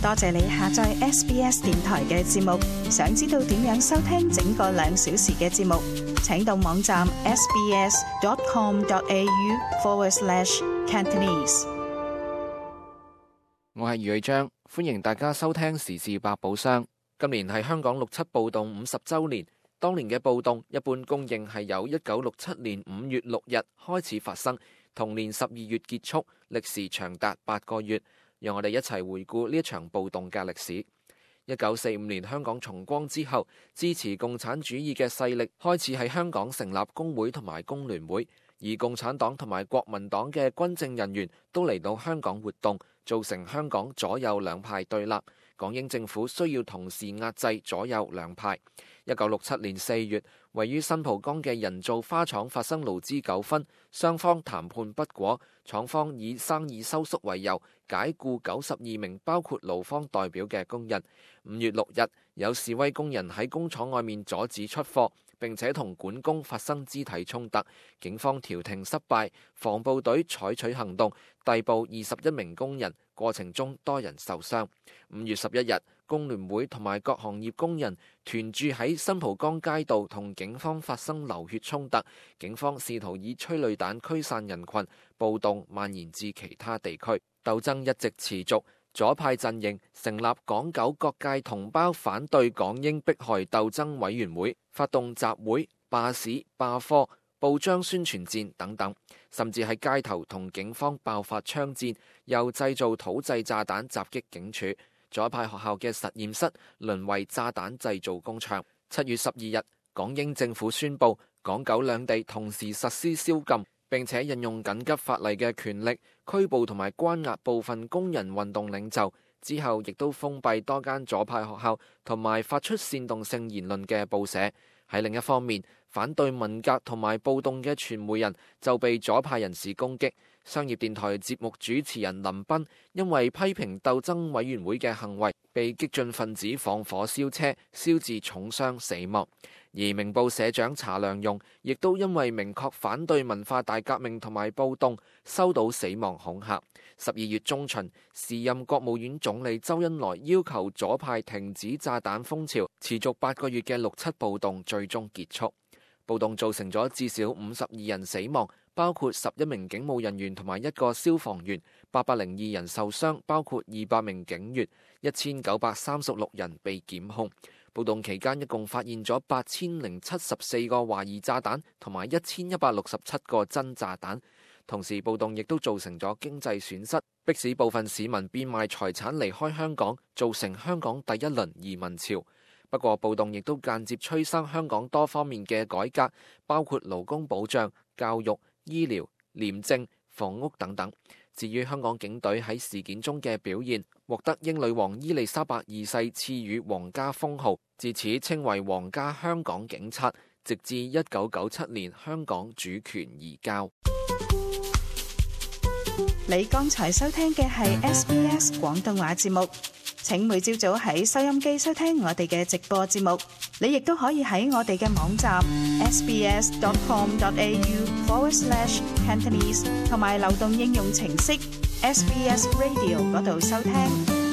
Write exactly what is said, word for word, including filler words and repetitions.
多謝你下載 S B S 電台嘅節目。想知道點樣收聽整個兩小時嘅節目，請到網站 sbs.com.au forward slash Cantonese。我係余偉章，歡迎大家收聽時事百寶箱。今年係香港六七暴動五十週年，當年嘅暴動一般公認係由一九六七年五月六日開始發生，同年十二月結束，歷時長達八個月。讓我哋一齊回顧呢一場暴動嘅歷史。一九四五年香港重光之後，支持共產主義嘅勢力開始喺香港成立工會同埋工聯會，而共產黨同埋國民黨嘅軍政人員都嚟到香港活動，造成香港左右兩派對立。港英政府需要同時壓制左右兩派。一九六七年四月，位於新蒲崗嘅人造花廠發生勞資糾紛，雙方談判不果，廠方以生意收縮為由，解僱九十二名包括勞方代表嘅工人。五月六日，有示威工人喺工廠外面阻止出貨，並且同管工發生肢體衝突，警方調停失敗，防暴隊採取行動，逮捕二十一名工人，過程中多人受傷。五月十一日，工聯會同埋各行業工人團住喺新蒲崗街道，同警方發生流血衝突，警方試圖以催淚彈驅散人群，暴動蔓延至其他地區，鬥爭一直持續。左派陣營成立港九各界同胞反對港英迫害鬥爭委員會，發動集會、罷市、罷課、報章宣傳戰等等，甚至喺街頭同警方爆發槍戰，又製造土製炸彈襲擊警署。左派學校嘅實驗室淪為炸彈製造工場。七月十二日，港英政府宣布港九兩地同時實施宵禁，並且引用緊急法例嘅權力拘捕同埋關押部分工人運動領袖。之後亦都封閉多間左派學校同埋發出煽動性言論嘅報社。喺另一方面，反對文革同埋暴動嘅傳媒人就被左派人士攻擊。商業電台節目主持人林彬因為批評鬥爭委員會嘅行為，被激進分子放火燒車，燒至重傷死亡。而明報社長查良鏞亦都因為明確反對文化大革命同埋暴動，收到死亡恐嚇。十二月中旬，時任國務院總理周恩來要求左派停止炸彈風潮，持續八個月嘅六七暴動最終結束。暴動造成咗至少五十二人死亡，包括十一名警務人員同埋一個消防員，八百零二人受傷，包括二百名警員，一千九百三十六人被檢控。暴動期間一共發現咗八千零七十四個懷疑炸彈同埋一千一百六十七個真炸彈。同時暴動亦都造成咗經濟損失，迫使部分市民變賣財產離開香港，造成香港第一輪移民潮。不過暴動亦都間接催生香港多方面嘅改革，包括勞工保障、教育、醫療、廉政、房屋等等。至於香港警隊喺事件中嘅表現，獲得英女王伊麗莎白二世賜予皇家封號，自此稱為皇家香港警察，直至一九九七年香港主權移交。你剛才收聽嘅係 S B S 廣東話節目。請每朝早喺收音機收聽我哋嘅直播節目，你亦都可以喺我哋嘅網站 sbs.com.au forward slash Cantonese 同埋流動應用程式 S B S Radio 嗰度收聽。